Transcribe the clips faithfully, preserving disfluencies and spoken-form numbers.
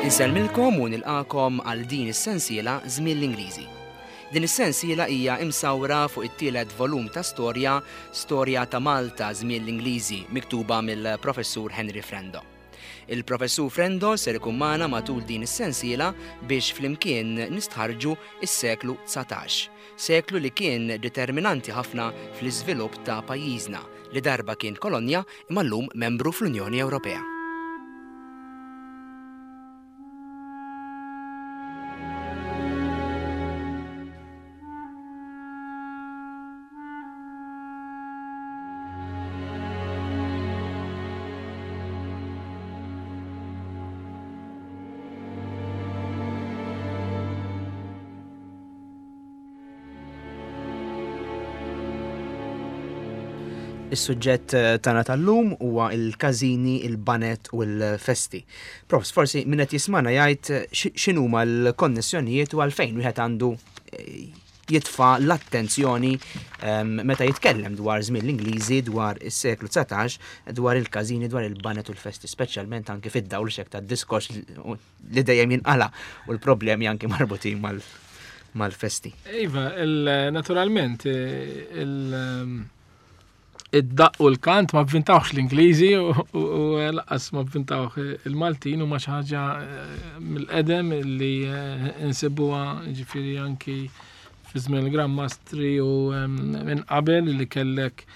Insellmilkom u nilqakom għal din is-sensiela Żmien l-Ingliżi. Din is-sensiela hija imsawra fuq it-tielet volum ta' storja, Storja ta' Malta Żmien l-Ingliżi, miktuba mill-Professur Henry Frendo. Il-Professur Frendo ser ikun magħna matul din is-sensiela biex flimkien nistħarġu is-seklu dsatax, seklu li kien determinanti ħafna fl-iżvilupp ta' pajjiżna li darba kien kolonja imma llum membru fl-Unjoni Ewropea. Is-suġġett tagħna tal-lum huwa il-każini, il-banet u l-festi. Profs, forsi min qed jismana jgħid x'inhuma l-konnessjonijiet u għalfejn wieħed għandu jitfa' l-attenzjoni meta jitkellem dwar żmien l-Ingliżi, dwar is-seklu dsatax, dwar il-każini, dwar il-banet u l-festi, speċjalment anke fid-dawl xek tad-diskors li dejjem jinqala u l-problemi anke marbutin mal-, mal-festi. Iva, il-, naturalment, il-, id-daqq u l-kant ma vvintawx l-Ingliżi u, u, u lanqas ma vvintawx il-Maltin, huma xi ħaġa mill-qedem li insibuha ġifieri anki fi żmien il-Gran Mastri u minn qabel li kellek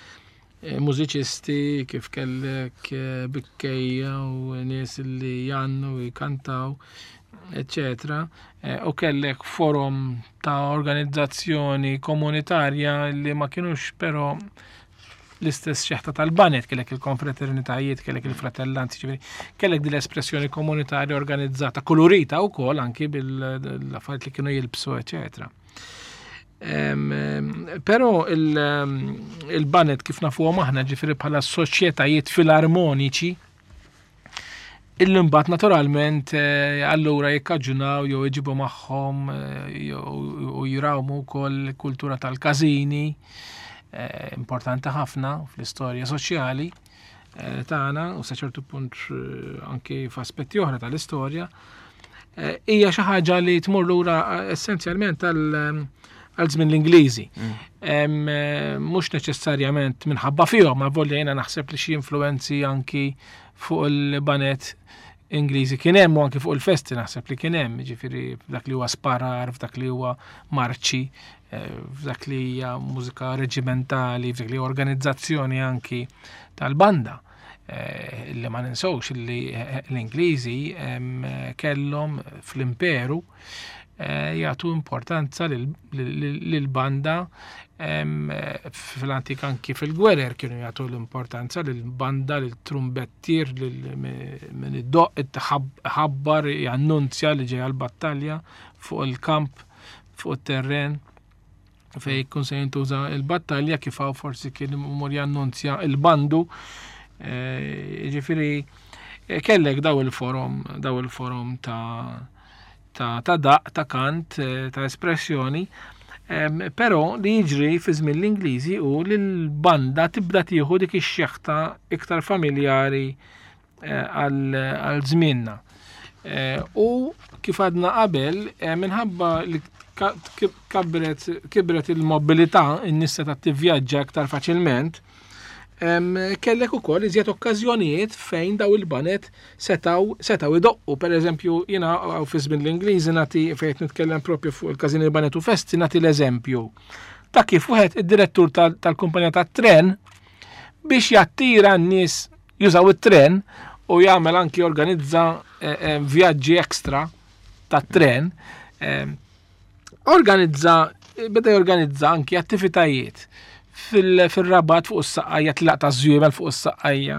mużiċisti kif kellek bikkejja u nies li jgħannu u jkantaw, eccetera. U kellek forum ta' organizzazzjoni komunitarja li ma kienux però l-istess xeħta tal-banet, kellek il-konfraternitajiet, kellek il-fratellanzi, ġifieri, kellek din l-espressjoni komunitarja organizzata, kolorita wkoll anki bil-affarijiet li kienu jilbsu, eccetera. Em, em, però il-, il-banet kif nafuhom aħna, ġifieri bħala soċjetajiet filarmoniċi, illi mbagħad naturalment, eh, allura jikkaġunaw jew iġibu magħhom, eh, jew, u jrawmu wkoll kultura tal-każini, eh, importanti ħafna fl-istorja soċjali, eh, tagħna u sa ċertu punt, eh, anki f'aspetti oħra tal-istorja, eh, hija xi ħaġa li tmur lura, eh, essenzjalment għal, għal żmien l-Ingliżi. Mm. Em, eh, mhux neċessarjament minħabba fihom, ma volja jiena naħseb li xi influenzi anki fuq il-banet Ingliżi kien hemm u anki fuq il-festi naħseb li kien hemm, jiġifieri f'dak li huwa sparar, f'dak li huwa marċi, eh, f'dak li hija mużika reġimentali, f'dak li huwa organizzazzjoni anki tal-banda. Eh, li ma ninsewx li, eh, l-Ingliżi, em, kellhom fl-imperu, eh, jagħtu importanza lil, lil, lil-banda, em, fl-antik anki fil-gwerer kienu jagħtu l-importanza lil-banda, lil-trumbettier, lil min id-doq, ħabbar, jannunzja li ġejja l-battalja fuq il-kamp, fuq it-terren fej jkun se jintuża l-battalja, kif hawn forsi kien imur jannunzja il-bandu. Eh, jiġifieri, eh, kellek daw il-forom, daw il-forom ta', ta', ta' daq, ta' kant, eh, ta' espressjoni. Em, però li jiġri fi żmien l-Ingliżi hu li l-banda tibda tieħu dik ix-xeħta iktar familjari, eh, għal, għal żmienna. Eh, u kif għadna qabel, eh, minħabba li ka-, kabret, kibret il-mobilità, in-nies setgħet tivvjaġġa iktar faċilment, em, kellek ukoll iżjed okkażjonijiet fejn daw il-banet setaw, setaw idoqqu. Per eżempju, jiena hawn fi żmien l-Ingliżi nagħti fejn qed nitkellem propju fuq il-każini banet u festi, nagħti l-eżempju ta' kif wieħed id-direttur tal-, tal-kumpanija tat-tren biex jattira n-nies jużaw it-tren u jagħmel anki organizza, eh, eh, vjaġġi ekstra tat-tren, eh, organizza, beda jorganizza anki attivitajiet fil-, fil-Rabat fuq is-Saqqajja, tlaq ta' żwiemel fuq is-Saqqajja.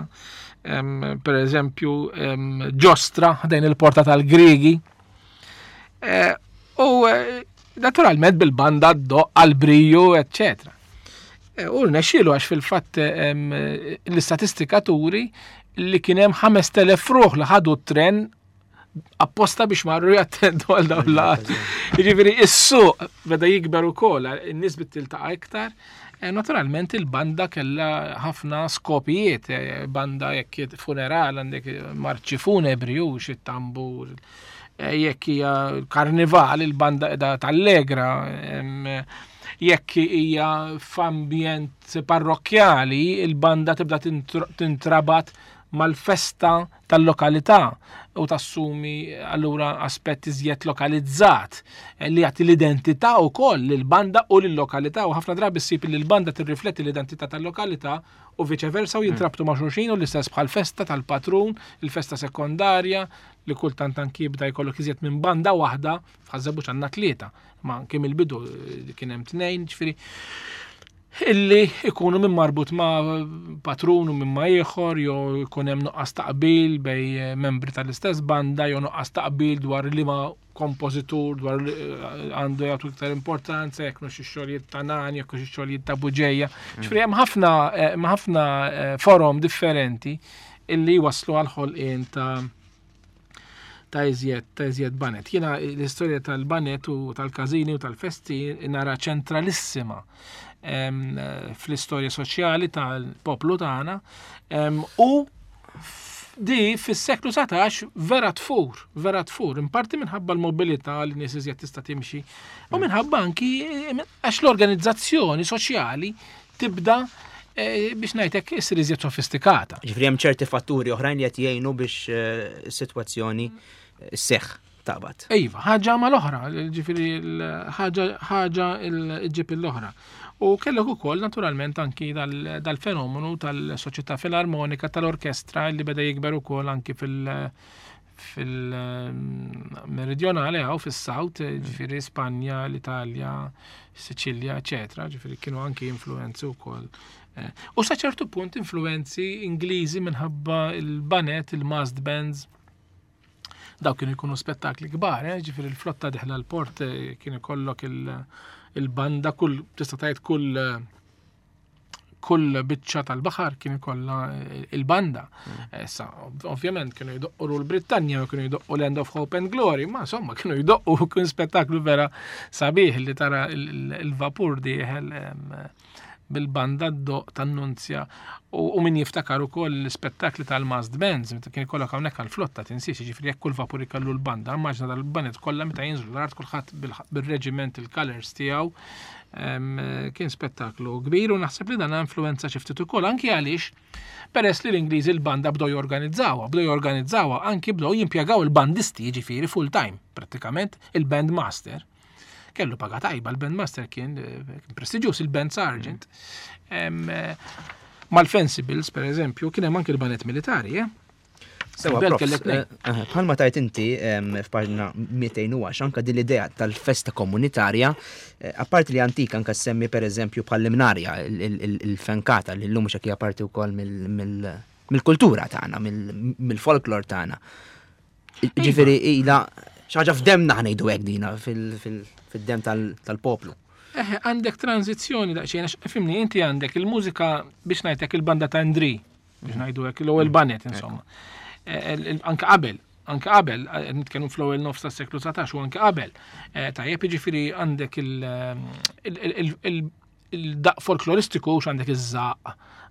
Em, per eżempju, em, ġostra ħdejn il-porta tal-Griegi. Eh, u, eh, naturalment bil-banda d-doqq għal-briju, eccetera. Eh, u rnexxielu għax fil-fatt, em, l-istatistika turi li kien hemm ħamest elef ruħ li ħadu t-tren apposta biex marru jattendu għal dawn l-laqgħat. Jiġifieri is-suq beda jikber ukoll, in-nies bdiet tiltaqa' iktar, Naturalment il-banda kellha ħafna skopijiet, banda jekk funeral għandek marċi funebri u xi tambur, jekk hija karnival il-banda qiegħda tallegra, jekk hija f'ambjent parrokkjali il-banda tibda tintrabat mal-festa tal-lokalità u tassumi allura aspett iżjed lokalizzat li jagħti l-identità wkoll lill-banda u lill-lokalità, u ħafna drabi ssib li l-banda tirrifletti l-identità tal-lokalità u viċe versa u jintrabtu ma' xulxin, u l-istess bħal festa tal-patrun, il-festa sekondarja li kultant anki jibda jkollok iżjed minn banda waħda, f'Ħaż-Żebbuġ għandna tlieta, ma anki mill-bidu kien hemm tnejn, ġifieri illi ikunu minn marbut ma' patrun u minn ma' ieħor, jew ikun hemm nuqqas taqbil bej membri tal-istess banda, jew nuqqas taqbil dwar liema kompożitur, dwar għandu jagħtu iktar importanza, jekk mhux ix-xogħlijiet ta' Nani, jekk mhux ix-xogħlijiet ta' Buġeja. Ġifieri hemm ħafna, hemm ħafna forom differenti illi waslu għal ħolqien ta' ta' iżjed, ta' iżjed banet. Jiena l-istorja tal-banet u tal-każini u tal-festi nara ċentralissima fl-istorja soċjali tal-poplu tagħna, u di fis-seklu satax vera tfur, vera tfur, in parti minħabba l-mobilità li nies iżjed tista' timxi, u minħabba anki għax l-organizzazzjoni soċjali tibda biex ngħidlek issir iżjed sofistikata. Ġifieri hemm ċerti fatturi oħrajn li qed jgħinu biex is-sitwazzjoni sseħħ taqbad. Iva, ħaġa mal-oħra, ġifieri ħaġa, ħaġa ġġib l-oħra. U kellek ukoll naturalment anki dal-fenomenu tal-soċjetà filarmonika tal-orkestra li beda jikber ukoll anki fil- fil-meridjonali għaw fis-South, ġifieri Spanja, l-Italja, Sicilja, eċetera, ġifieri kienu anki influenzi wkoll. U sa ċertu punt influenzi Ingliżi minħabba il-banet, il-massed bands, daw kienu jkunu spettakli kbar, eh? Ġifieri l-flotta diħla l-port kien ikollok il-banda, kull, tista' tgħid kull, kull biċċa tal-baħar kien ikollha il-banda. Issa, ovvjament kienu jdoqqu l-Brittanja u kienu jdoqqu l-End of Hope and Glory, ma insomma kienu jdoqqu kien spettaklu vera sabiħ li tara il-vapur dieħel bil-banda d-doq tan-nunzja. U min jiftakar ukoll l-ispettakli tal-massed bands, meta kien ikollok hawnhekk għall-flotta tinsiex, jiġifieri jekk kull vapur ikollu l-banda, immaġna dal-banet kollha meta jinżlu l-art kulħadd bil-reġiment il-colors tiegħu. Kien spettaklu kbir u naħseb li dan influenza xi ftit ukoll anki għaliex peress li l-Ingliżi l-banda bdew jorganizzawha, bdew jorganizzawha anki bdew jimpjegaw il-bandisti, jiġifieri full time prattikament il-band master. Kellu paga tajba, il-band master kien prestiġjuż, il-band sergeant. Mal-Fencibles, per eżempju, kien hemm anki l-banet militari, eh? Sewa, Bel prof, kellek eh, eh, bħalma tajt inti, em, f'paġna mitejn u għax, anka din l-idea tal-festa komunitarja, eh, apparti li antika anka semmi per eżempju bħall-imnarja, il-, il-, il-, il-fenkata li llum mhux hekk hija parti wkoll mill-, mill-, mill-kultura tagħna, mill-, mill-folklor tagħna. Ġifieri ilha xi ħaġa f'demna ħa ngħidu hekk dina fil-, fil-, fid-dem tal-, tal-poplu. Eħe, għandek tranzizzjoni daqsxejn, għax fimni, inti għandek il-mużika biex ngħidlek il-banda ta' Indri, biex ngħidu hekk, l-ewwel banet, insomma. Eh, il-, il-, anke qabel, anke qabel, eh, nitkellmu fl-ewwel nofs tas-seklu dsatax u anke qabel. Eh, tajjeb, jiġifieri għandek il-, il-, il-, il-, il-daq folkloristiku, x għandek iż-żaq,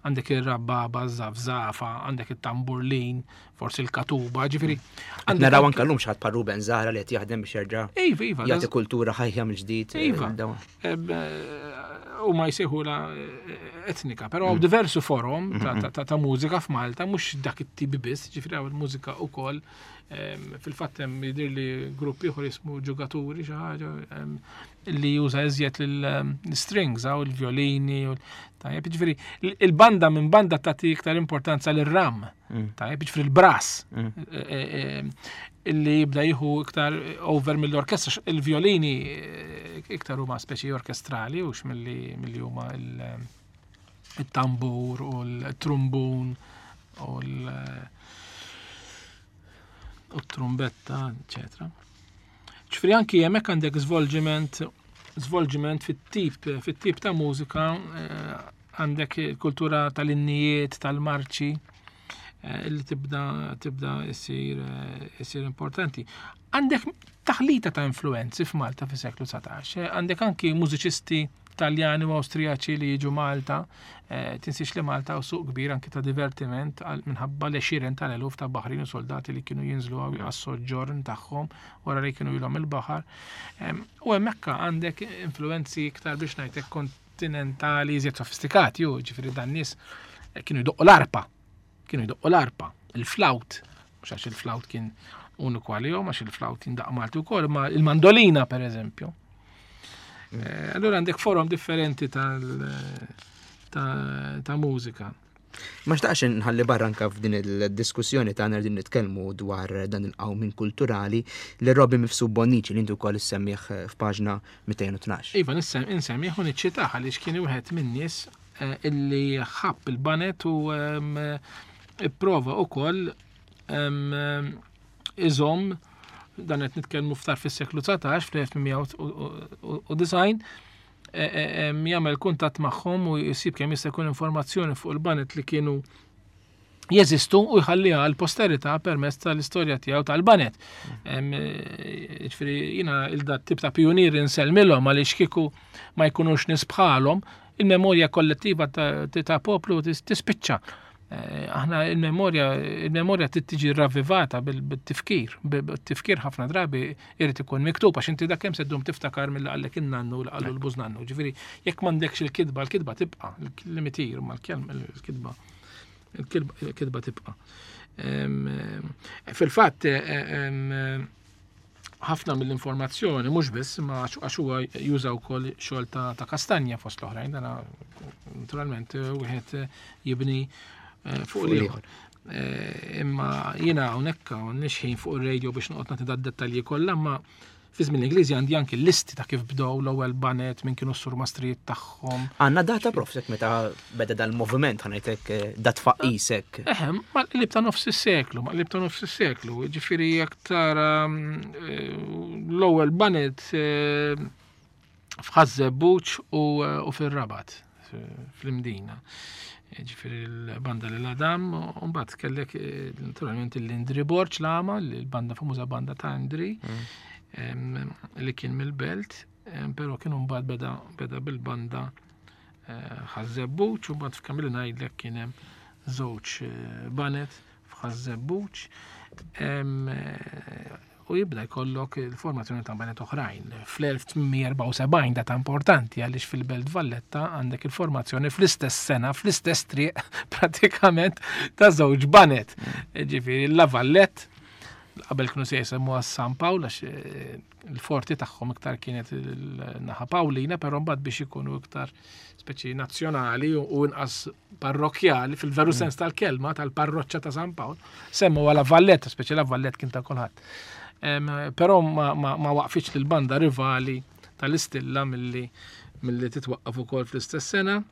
għandek ir-rabbaba, iż-żafżafa, għandek it-tamburlin, forsi l-katuba, ġifieri, Qed għandek naraw anke anke llum xi ħadd bħal Ruben Zahra li qed jaħdem biex jerġa' Iva, iva, jagħti da- kultura ħajja mill-ġdid, eh, Iva. dawn. Eb, eh, u ma jsejħu la, eh, etnika, però Mm. diversi forom ta' Mm-mm. ta', ta', ta' mużika f'Malta, mhux dak it-tip biss, ġifieri hawn il-mużika wkoll. Em, fil-fatt hemm jidhir li grupp ieħor jismu ġugaturi xi ħaġa, em, li juża iżjed l-strings, hawn il-violini u l-, tajjeb, ġifieri, l-, il-banda minn banda tagħti iktar importanza lir-ram, Mm. tajjeb, ġifieri l-brass, Mm. e, e, e, illi jibda jieħu iktar over mill-orkestra, il-violini, e, iktar huma speċi orkestrali u milli, milli huma il-, il-tambur u l-trumbun u l-, u t-trumbetta, eccetera. Ġifieri anki hemmhekk għandek svolġiment, svolġiment fit-tip, fit-tip ta' mużika, eh, għandek il-kultura tal-innijiet, tal-marċi, eh, li tibda, tibda issir, eh, issir importanti. Għandek taħlita ta' influenzi f'Malta fis-seklu dsatax, eh, għandek anki mużiċisti Taljani u Awstrijaċi li jiġu Malta, eh, tinsiex li Malta u suq kbir anki ta' divertiment minħabba l-għexieren tal-eluf ta' baħrin u soldati li kienu jinżlu għas-soġġorn tagħhom wara li kienu ilhom il-baħar. U hemmhekk għandek influenzi iktar biex ngħidlek kontinentali iżjed sofistikati, ju ġifieri dan nies kienu jdoqqu l-arpa, kienu jdoqqu l-arpa, il-flawt, mhux għax il-flawt kien uniku għalihom, għax il-flawt jindaqq Malti wkoll, ma il-mandolina per eżempju. Eh, allura għandek forom differenti tal ta', ta mużika. Ma xtaqx nħalli barra anka f'din il-diskussjoni tagħna din nitkellmu dwar dan il-qawmin kulturali li Robbie Mifsud Bonnici li intu wkoll issemmih f'paġna mitejn u tnax. Iva, insemmih u niċċitah għaliex kien wieħed min-nies eh, illi ħabb il-banet u ehm, ipprova ukoll ehm, iżomm dan qed nitkellmu ftar fis-seklu dsatax, fl-elf tmien mija u disgħin, e, e, e, jagħmel kuntatt magħhom u jsib kemm jista' jkun informazzjoni fuq il-banet li kienu jeżistu u jħalliha għal posterità permezz tal-istorja tiegħu tal-banet. Ġifieri jiena il-dat tip ta' pionieri nsellmilhom għaliex kieku ma jkunux nies bħalhom, il-memorja kollettiva ta', ta' poplu tispiċċa. Eh, aħna il-memorja, il-memorja trid tiġi ravvivata bil-tifkir, bil-tifkir ħafna drabi irid ikun miktub għax inti dak kemm se ddum tiftakar mill qallek in-nannu u qallu l-bużnannu. Ġifieri jekk m'għandekx il-kitba, il-kitba tibqa', il-limitir ma l-kelma, il-kitba, il-kitba tibqa'. Em, fil-fatt, em, ħafna mill-informazzjoni, mhux biss, ma għax huwa juża wkoll xogħol ta', ta' Kastanja fost l-oħrajn, dana naturalment wieħed jibni, eh, fuq l-ieħor. Eh, imma jiena hawnhekk m'għandniex ħin fuq ir-radio biex noqgħod nagħti dad-dettalji kollha, imma fi żmien l-Ingliżi għandi anki l-listi ta' kif bdew l-ewwel banet, minn kienu s-surmastrijiet tagħhom. Għandna data prof, sek meta beda dal-moviment, ħanajtek, eh, dat faqisek. Eħe, ma qlib ta' nofs is-seklu, ma qlib ta' nofs is-seklu, ġifieri jekk tara, eh, l-ewwel banet, eh, f'Ħaż-Żebbuġ u, eh, u fir-Rabat, fl-Imdina. Ġifieri l-banda l Adam, u mbagħad kellek, eh, naturalment l-Indri Borg l-għama, l-banda famuża banda ta' Indri, Mm. em, li kien mill-belt, em, però kienu mbagħad beda, beda bil-banda, eh, Ħaż-Żebbuġ, u mbagħad f'Kamil ngħidlek kien hemm żewġ, eh, banet f'Ħaż-Żebbuġ, em, eh, u jibda jkollok il-formazzjoni ta' banet oħrajn. Fl-elf tmien mija erbgħa u sebgħin data importanti għaliex fil-Belt Valletta għandek il-formazzjoni fl-istess sena, fl-istess triq pratikament ta' żewġ banet. Ġifieri la Vallette, qabel kienu se jsemmuha San Pawl għax, eh, il-forti tagħhom iktar kienet il-naħa Pawlina, però mbagħad biex ikunu iktar speċi nazzjonali u, u inqas parrokkjali fil-veru Mm. sens tal-kelma tal-parroċċa ta' San Pawl, semmu la Valletta, speċi la Valletta kien ta' kulħadd. Em, però ma, ma, ma waqfitx lill-banda rivali tal-Istilla milli, milli titwaqqaf ukoll fl-istess sena.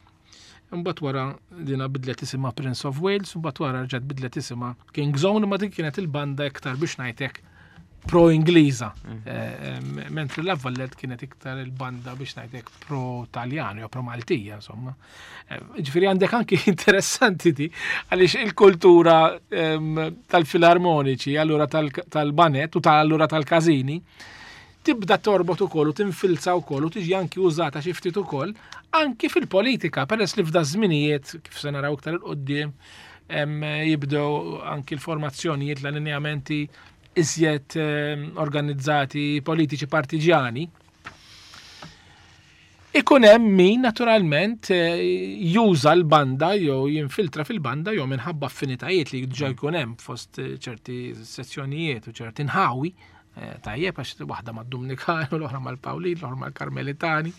Imbagħad wara dina bidlet isimha Prince of Wales, imbagħad wara rġgħet bidlet isimha King's Own, imma dik kienet il-banda iktar biex ngħidlek pro-Ingliża. Mm. Eh, em, mentri la Vallette kienet iktar il-banda biex ngħidlek pro-Taljan jew pro-Maltija, insomma. Eh, ġifieri għandek anki interessanti di, għaliex il-kultura, em, tal-filarmoniċi, allura tal-, tal-banet u tal-allura tal-każini, tibda torbot ukoll u tinfilza wkoll u tiġi anki użata xi ftit ukoll anki fil-politika, peress li f'da żminijiet, kif se naraw iktar il quddiem, em, jibdew anki l-formazzjonijiet, l-allineamenti iżjed, em, organizzati politiċi partiġjani. Ikun hemm min naturalment, eh, juża l-banda jew jinfiltra fil-banda jew minħabba affinitajiet li diġà jkun hemm fost, eh, ċerti sezzjonijiet u ċerti nħawi. Eh, tajjeb, għax waħda mad-Dominikani, l-oħra mal-Pawlin, l-oħra mal-Karmelitani,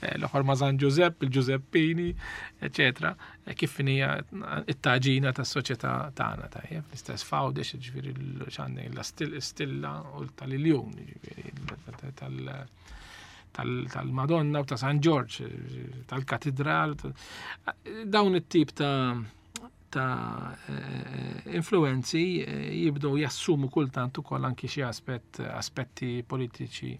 eh, l-oħra ma' San Giuseppe, il-Giuseppini, eccetera. Eh, kif hija it-taġina tas-soċjetà tagħna, tajjeb, l-istess Fawdex, ġifieri l-, x'għandek, la stil-, stilla u tal-Iljun, ġifieri tal-, tal-, tal-Madonna u ta' San Ġorġ, tal-Katedral, dawn it-tip ta' ta', eh, influenzi, eh, jibdew jassumu kultant ukoll anki xi aspett, aspetti politiċi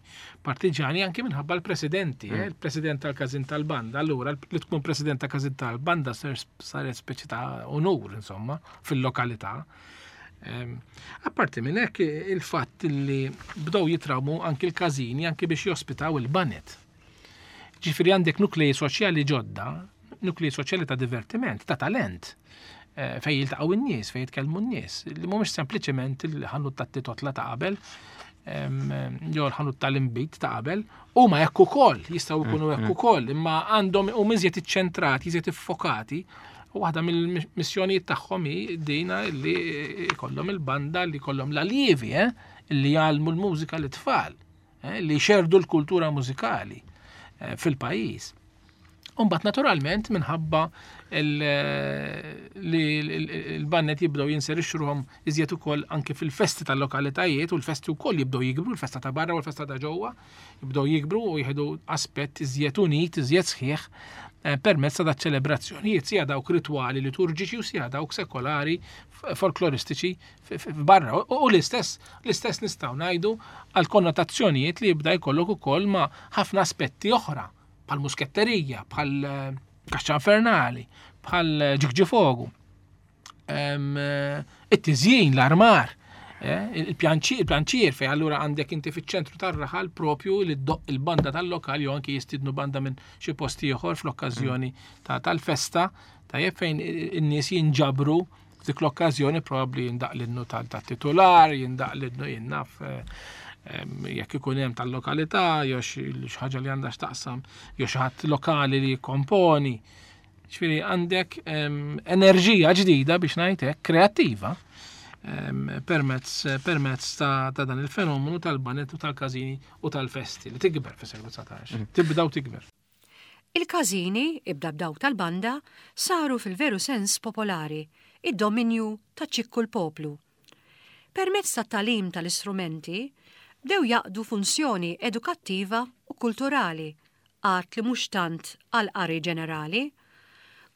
partiġani anki minħabba l-presidenti, Mm. eh, il-president tal-Każin tal-Banda. Allura li tkun president tal-Każin tal-Banda sar-, saret speċi ta' onur, insomma, fil-lokalità. Em, apparti minn hekk il-fatt li bdew jitrawmu anki l-każini anki biex jospitaw il-banet. Ġifieri għandek nuklei soċjali ġodda, nuklei soċjali ta' divertiment, ta' talent, eh, fejn jiltaqgħu n-nies, fejn jitkellmu n-nies, li mhumiex sempliċement il-ħanut tat-titotla ta' qabel, jew l-ħanut tal-inbid ta' qabel, huma hekk ukoll, jistgħu jkunu hekk ukoll, imma għandhom huma iżjed iċċentrati, iżjed iffokati. U waħda mill-missjonijiet tagħhom hi dina li jkollhom il-banda, li jkollhom l-allievi, eh, li jgħallmu l-mużika lit-tfal, eh, li jxerdu l-kultura mużikali eh, fil-pajjiż. Umbat naturalment minħabba li l-bannet jibdew jinserixxu ruħhom iżjed ukoll anke fil-festi tal-lokalitajiet, u l-festi wkoll jibdew jikbru, l-festa ta' barra u l-festa ta' ġewwa jibdew jikbru u jieħdu aspett iżjed unit, iżjed sħiħ eh, permezz ta' ċelebrazzjonijiet, sija dawk ritwali liturġiċi u sija dawk sekolari folkloristiċi barra. U l-istess l-istess nistgħu ngħidu għal konnotazzjonijiet li jibda jkollok ukoll ma' ħafna aspetti oħra, bħal musketterija, bħal eh, kaxxa infernali, bħal ġigġifogu. Eh, it-tiżjin, l-armar, eh, il-pjanċier, fej allura għandek inti fiċ-ċentru tar-raħal propju li ddoqq il-banda tal-lokal jew anki jistidnu banda minn xi post ieħor fl-okkażjoni tal-festa, tajjeb, fejn in-nies jinġabru f'dik l-okkażjoni, probabbli jindaq l-innu tat-titular, jindaq l-innu jinnaf jekk ikun hemm tal-lokalità, jew xi ħaġa li għandha x'taqsam, jew xi ħadd lokali li jikkomponi. Ġifieri għandek enerġija ġdida, biex ngħid hekk, kreattiva permezz permezz ta' dan il-fenomenu tal-banet u tal-każini u tal-festi li tikber fis-seklu dsatax. Mm. Tibda u tikber. Il-każini, ibda b'dawk tal-banda, saru fil-veru sens popolari, id-dominju ta' ċikku l-poplu. Permezz tat-tagħlim tal-istrumenti, bdew jaqdu funzjoni edukattiva u kulturali, għad li mhux tant għal qari ġenerali.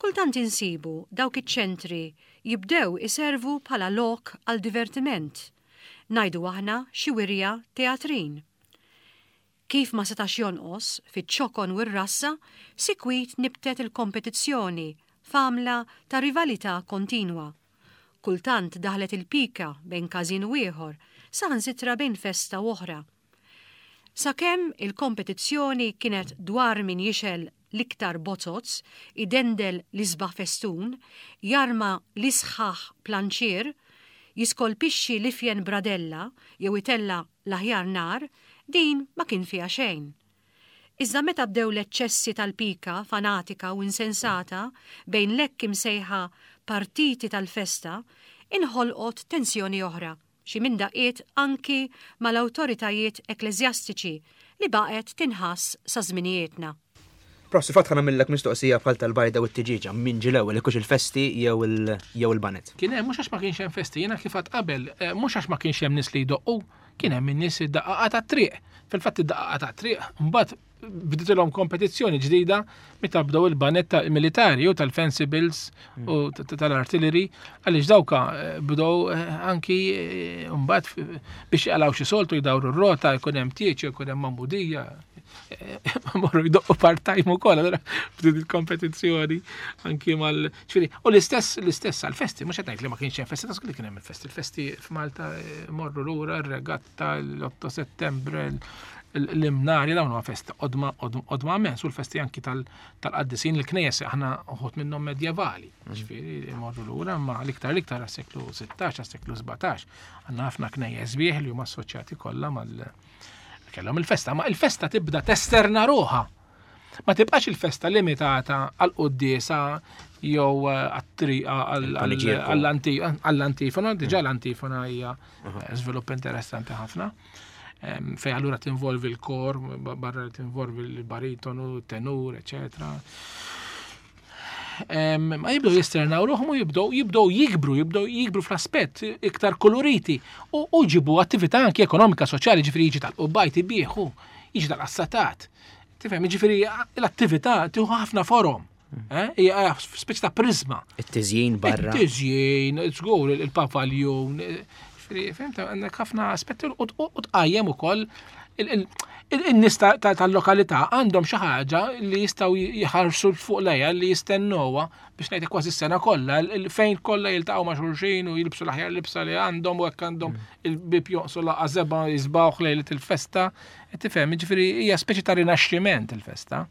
Kultant insibu dawk iċ-ċentri jibdew iservu bħala lok għal divertiment. Ngħidu aħna xi wirja teatrin. Kif ma setax jonqos, fiċ-ċokon u r-rassa, sikwit nibtet il-kompetizzjoni f'għamla ta' rivalità kontinwa. Kultant daħlet il-pika bejn każin u ieħor, saħansitra bejn festa u oħra. Sakemm il-kompetizzjoni kienet dwar min jixgħel l-iktar bozoz, idendel l-isbaħ festun, jarma l-isħaħ planċier, jiskolpixxi l-ifjen bradella jew itella l-aħjar nar, din ma kien fiha xejn. Iżda meta bdew l-eċċessi tal-pika fanatika u insensata bejn l-hekk imsejħa partiti tal-festa, inħolqot tensjoni oħra, xi minn daqqiet anki mal-awtoritajiet ekkleżjastiċi li baqgħet tinħass sa żminijietna. Prof, fatt ħa nagħmillek mistoqsija bħal tal-bajda u t-tiġiġa, min ġie l-ewwel, hux il-festi jew il-banet? Kien hemm, mhux għax ma kienx hemm festi, jiena kif għedt qabel, eh, mhux għax ma kienx hemm nies li jdoqqu, kien hemm in-nies id-daqqaqa tat-triq. Fil-fatt id-daqqaqa tat-triq mbagħad bditilhom kompetizzjoni ġdida meta bdew il-banet militari u tal-fencibles u tal-artillery, għaliex dawka eh, bdew eh, anki mbagħad biex jaqalgħu xi soltu, jdawru r-rota, jkun hemm tieċ, jkun hemm magħmudija, morru jdoqqu part-time ukoll, allura bdiet il-kompetizzjoni anki mal ġifieri, u l-istess l-istess għal-festi, mhux qed ngħid li ma kienx hemm festi, ta' li kien hemm il-festi, il-festi f'Malta eh, morru lura r-regatta, l-otto Settembre, l-Imnarja, dawn huma festi qodma qodma immens, u l-festi anki tal-qaddisin, il-knejjes aħna uħud minnhom medjevali, ġifieri morru lura, ma l-iktar l-iktar għas-seklu sittax, għas-seklu sbatax, għandna ħafna knejjes sbieħ li huma assoċjati kollha mal kellhom il-festa, ma il-festa tibda testerna ruħha. Ma tibqax il-festa limitata għal-quddiesa jew għat-triqa għall-antifona, diġà l-antifona hija żvilupp interessanti ħafna. Fej allura tinvolvi l-kor, barra tinvolvi l-baritonu, tenur, eccetera. Ma jibdew jesternaw ruħhom u jibdew jibdew jikbru, jibdew jikbru fl-aspett iktar koloriti u jġibu attività anki ekonomika, soċjali, ġifieri jiġi tal-qubbajt ibieħu, jiġi tal-qassatat. Tifhem, ġifieri l-attività tieħu ħafna forom. Eh? Hija speċi ta' prizma. It-tiżjin barra. It-tiżjin, żgur il-pavaljun. Ġifieri, fhimt, għandek ħafna aspetti u tqajjem ukoll in-nies tal-lokalità għandhom xi ħaġa li jistgħu jħarsu fuq lejha, li jistennewha, biex ngħidlek, kważi s-sena kollha, fejn kollha jiltaqgħu ma' xulxin u jilbsu l-aħjar libsa li għandhom, u hekk għandhom il-bib jonqsu laqgħa żebgħa jiżbgħuh lejlet il-festa. Tifhem, ġifieri hija speċi ta' rinaxximent il-festa.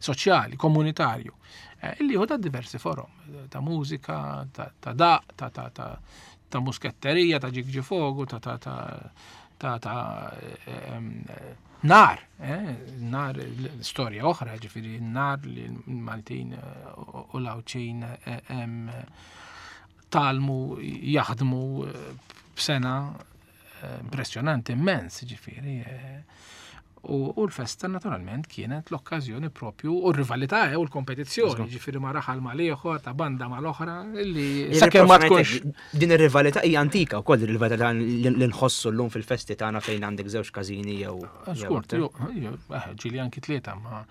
soċjali, komunitarju, eh, illi hu ta' diversi forom, ta' mużika, ta' ta' daq, ta' ta' ta' ta' musketterija, ta' ġigġifogu, ta' ta' ta' ta' ta' em, nar, eh, nar storja oħra, ġifieri nar li l-Maltin eh, u u l-Għawdxin eh, em, tgħallmu jaħdmu eh, b'sengħa eh, impressjonanti immens, ġifieri. eh, U, u l-festa naturalment kienet l-okkażjoni propju u r-rivalità eh, u l-kompetizzjoni, ġifieri ma raħal ma l-ieħor, ta' banda ma l-oħra, illi sakemm ma tkunx Din ir-rivalità hija antika wkoll ir-rivalità li li nħossu llum fil-festi tagħna fejn għandek żewġ każini jew jew Żgur, aktar. jo, jo, eh, ġieli anki tlieta, ma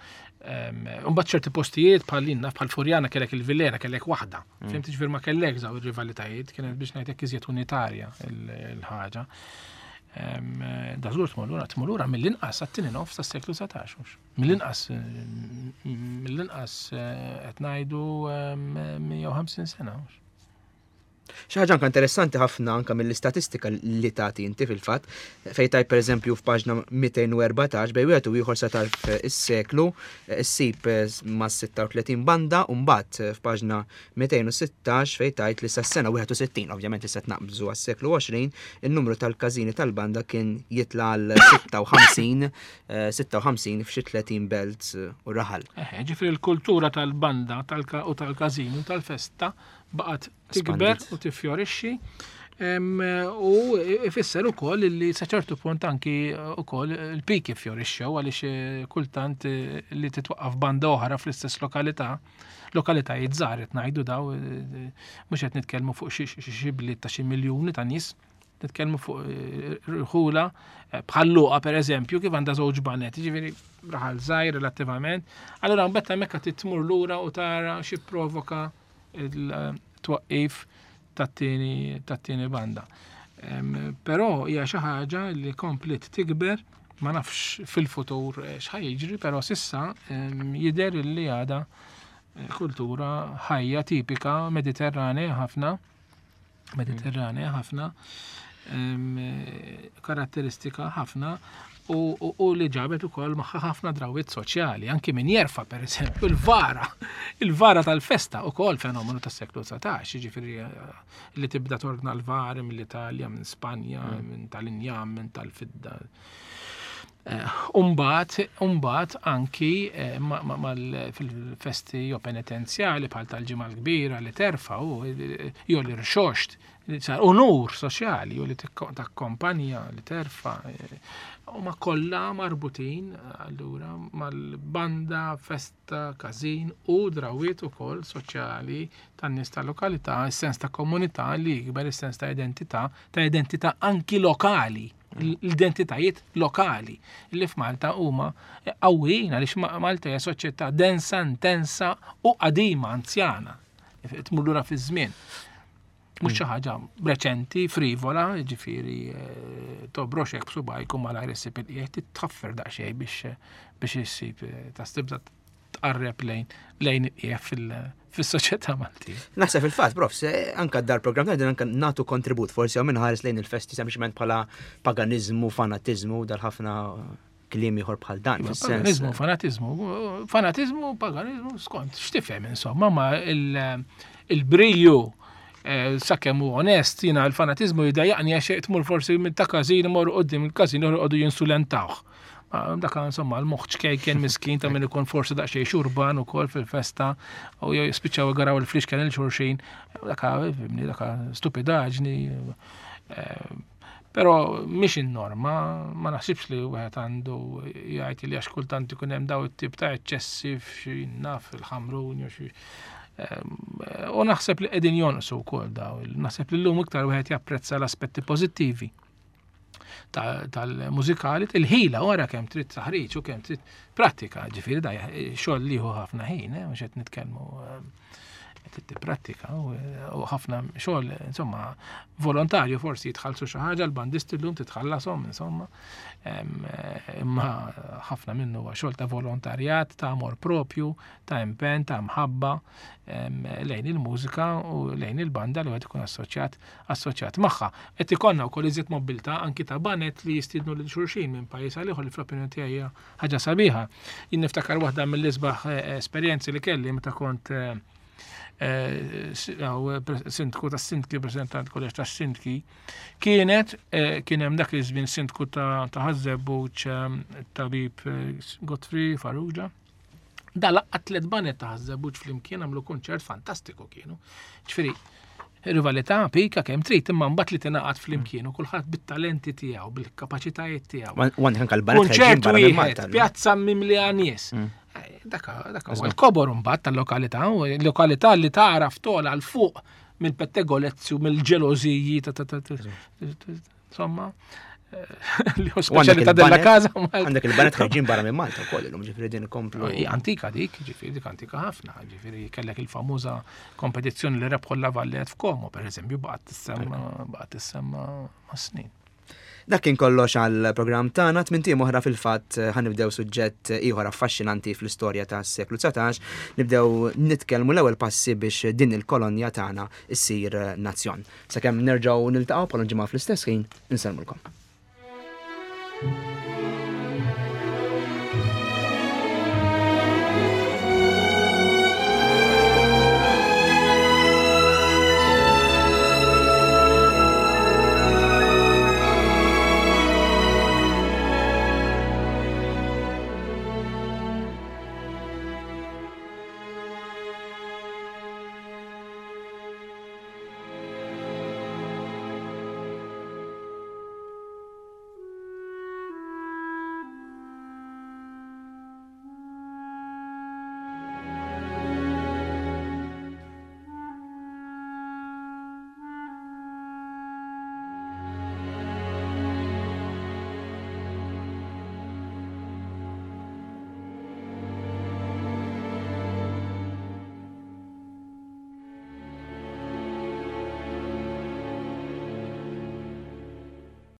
Mbagħad ċerti postijiet bħal inna bħal Furjana kellek il-Villera kellek waħda. Fhimt ġifier ma kellek żaw ir-rivalitajiet, kienet biex ngħidlek iżjed unitarja il- il-ħaġa. Em, Da żgur tmur lura, tmur lura mill-inqas għat-tieni nofs tas-seklu dsatax mhux. Mill-inqas eh, mill-inqas eh, qed ngħidu em, mija u ħamsin sena mhux. Xi ħaġa anka interessanti ħafna anka mill-istatistika li tagħti inti fil-fatt, fejn tajt pereżempju f'paġna mitejn u erbatax bejn wieħed u ieħor sa tarf is-seklu issib ma' sitta u tletin banda u mbagħad f'paġna mitejn u sittax fejn tajt li sas-sena wieħed u sittin, ovvjament issa naqbżu għas-seklu għoxrin, in-numru tal-każini tal-banda kien jitla' għal sitta u ħamsin, eh, sitta u ħamsin f'xi tletin belt u raħal. Eħe, ġifieri l-kultura tal-banda tal-ka- u tal-każin u tal-festa baqgħet tikber Espandiet. u tiffjorixxi. Em, U ifisser ukoll li sa ċertu punt anki ukoll il-piki fjorixxew għaliex eh, kultant eh, li titwaqqaf banda oħra fl-istess lokalità, lokalitajiet żgħar qed ngħidu daw, eh, mhux qed nitkellmu fuq xi xi- xi bliet ta' xi miljuni ta' nies, nitkellmu fuq eh, rħula eh, bħal Luqa per eżempju kif għandha żewġ banet, ġifieri raħal żgħir relattivament. Allura mbagħad hemmhekk qed tmur lura u tara xi provoka il-twaqqif tat-tieni tat-tieni banda. Em, Però hija xi ħaġa li komplet tikber, ma nafx fil-futur eh, x'ħa jiġri, però s'issa em, jidher li għadha eh, kultura ħajja tipika mediterranea ħafna, mediterranea ħafna, em, eh, karatteristika ħafna u, u, u li ġabet ukoll magħha ħafna drawiet soċjali, anki min jerfa' per eżempju il-vara, il-vara tal-festa ukoll fenomenu tas-seklu dsatax, jiġifieri eh, li tibda tordna l-vari mill-Italja, minn Spanja, minn tal-injam, minn tal-fidda. Eh, Umbat, umbat anki eh, ma- ma- mal- fil-festi jew penitenzjali bħal tal-Ġimgħa l-Kbira li terfa' u jew li rxoxt, li sar unur soċjali jew li tikko- takkompanja li terfa' eh, u ma kollha marbutin allura mal-banda, festa, każin u drawiet ukoll soċjali tan-nies tal-lokalità, is-sens ta' komunità li jikber, is-sens ta' identità, ta' identità anki lokali, l-identitajiet lokali li f'Malta huma qawwijin għaliex Ma- Malta hija soċjetà densa, intensa u qadima, anzjana. Tmur lura fiż-żmien. Mhux xi ħaġa reċenti, frivola, ġifieri eh, tobroxek b'subajk u malajr issib il-qiegħ titħaffer daqsxejn biex biex issib eh, ta' tibda tqarreb lejn lejn il-qiegħ fil- fis-soċjetà Maltija. Naħseb fil-fatt, prof, se anka dar program ta' anka natu kontribut forsi għaw minħares lejn il-festi sempliċement bħala paganizmu, fanatizmu, dal-ħafna kliem ieħor bħal dan. Fis-sens. Paganizmu, fanatizmu, fanatizmu, paganizmu, skont, x'tifhem insomma, ma il- il-briju eh, sakemm hu onest, jiena l-fanatizmu jdejjaqni għax tmur forsi minn ta' każin imorru quddiem il-każin joqogħdu jinsulentawh. Ma Dak insomma l-moħħ ċkejken miskin ta' min ikun forsi daqsxejn xurban ukoll fil-festa u jispiċċaw igaraw il-flixken il xulxin, dak fhimni, dak stupidaġni. eh, Però mhix in-norma, ma naħsibx li wieħed għandu jgħid li għax kultant ikun hemm daw it-tip ta' eċċessi f'xi naf il-Ħamrun jew xi Ehm, U naħseb li qegħdin jonqsu wkoll daw. Naħseb li llum iktar wieħed japprezza l-aspetti pożittivi ta- tal-mużikali, il-ħila wara kemm trid taħriġ u kemm trid prattika, ġifieri da xogħol li hu ħafna ħin, eh, mhux qed nitkellmu ehm, Trid tipprattika u ħafna xogħol, insomma, volontarju. Forsi jitħallsu xi ħaġa l-bandisti llum, titħallasom, insomma, imma ħafna minnu huwa xogħol ta' volontarjat, ta' amor propju, ta' impenn, ta' mħabba lejn il-mużika u lejn il-banda li għad ikun assoċjat assoċjat magħha. Qed ikollna wkoll iżjed mobilità anki ta' baned li jistiednu lil xulxin minn pajjiż għal ieħor, li fl-opinjoni tiegħi hija ħaġa sabiħa. Jien niftakar waħda mill-isbaħ eh, esperjenzi li kelli meta kont eh, eh, sindku ta' sindki, president tal-kolleġġ ta' sindki, kienet kien hemm dak iż-żmien sindku ta' Ħaż-Żebbuġ, tabib Godfrey Farrugia. Da laqqa' tliet baned ta' Ħaż-Żebbuġ flimkien, għamlu konċert fantastiku kienu. Ġifieri, rivalità pika kemm trid, imma mbagħad li tingħaqad flimkien u kulħadd bit-talenti tiegħu, bil-kapaċitajiet tiegħu. Konċert wieħed, pjazza mimlija nies. Mm. Dak dak huwa l-kobor mbagħad tal-lokalità, l-lokalità li tagħraf togħla 'l fuq mill-pettegolezzi u mill-ġelożiji ta' ta' ta' insomma, li hu speċjalità della casa. Għandek il-baned ħarġin barra minn Malta wkoll illum, ġifieri din ikomplu. Antika dik, ġifieri dik antika ħafna, ġifieri kellek il-famuża kompetizzjoni li rebħu La Valette f'Como, per eżempju, baqgħet tissemma baqgħet tissemma ma' snin. Dak kien kollox għal programm tagħna. Tmint ijiem oħra fil-fatt ħa nibdew suġġett ieħor affaxxinanti fl-istorja tas-seklu dsatax, nibdew nitkellmu l-ewwel passi biex din il-kolonja tagħna issir nazzjon. Sakemm nerġgħu niltaqgħu bħal ġimgħa fl-istess ħin, insellmulkom. Thank you.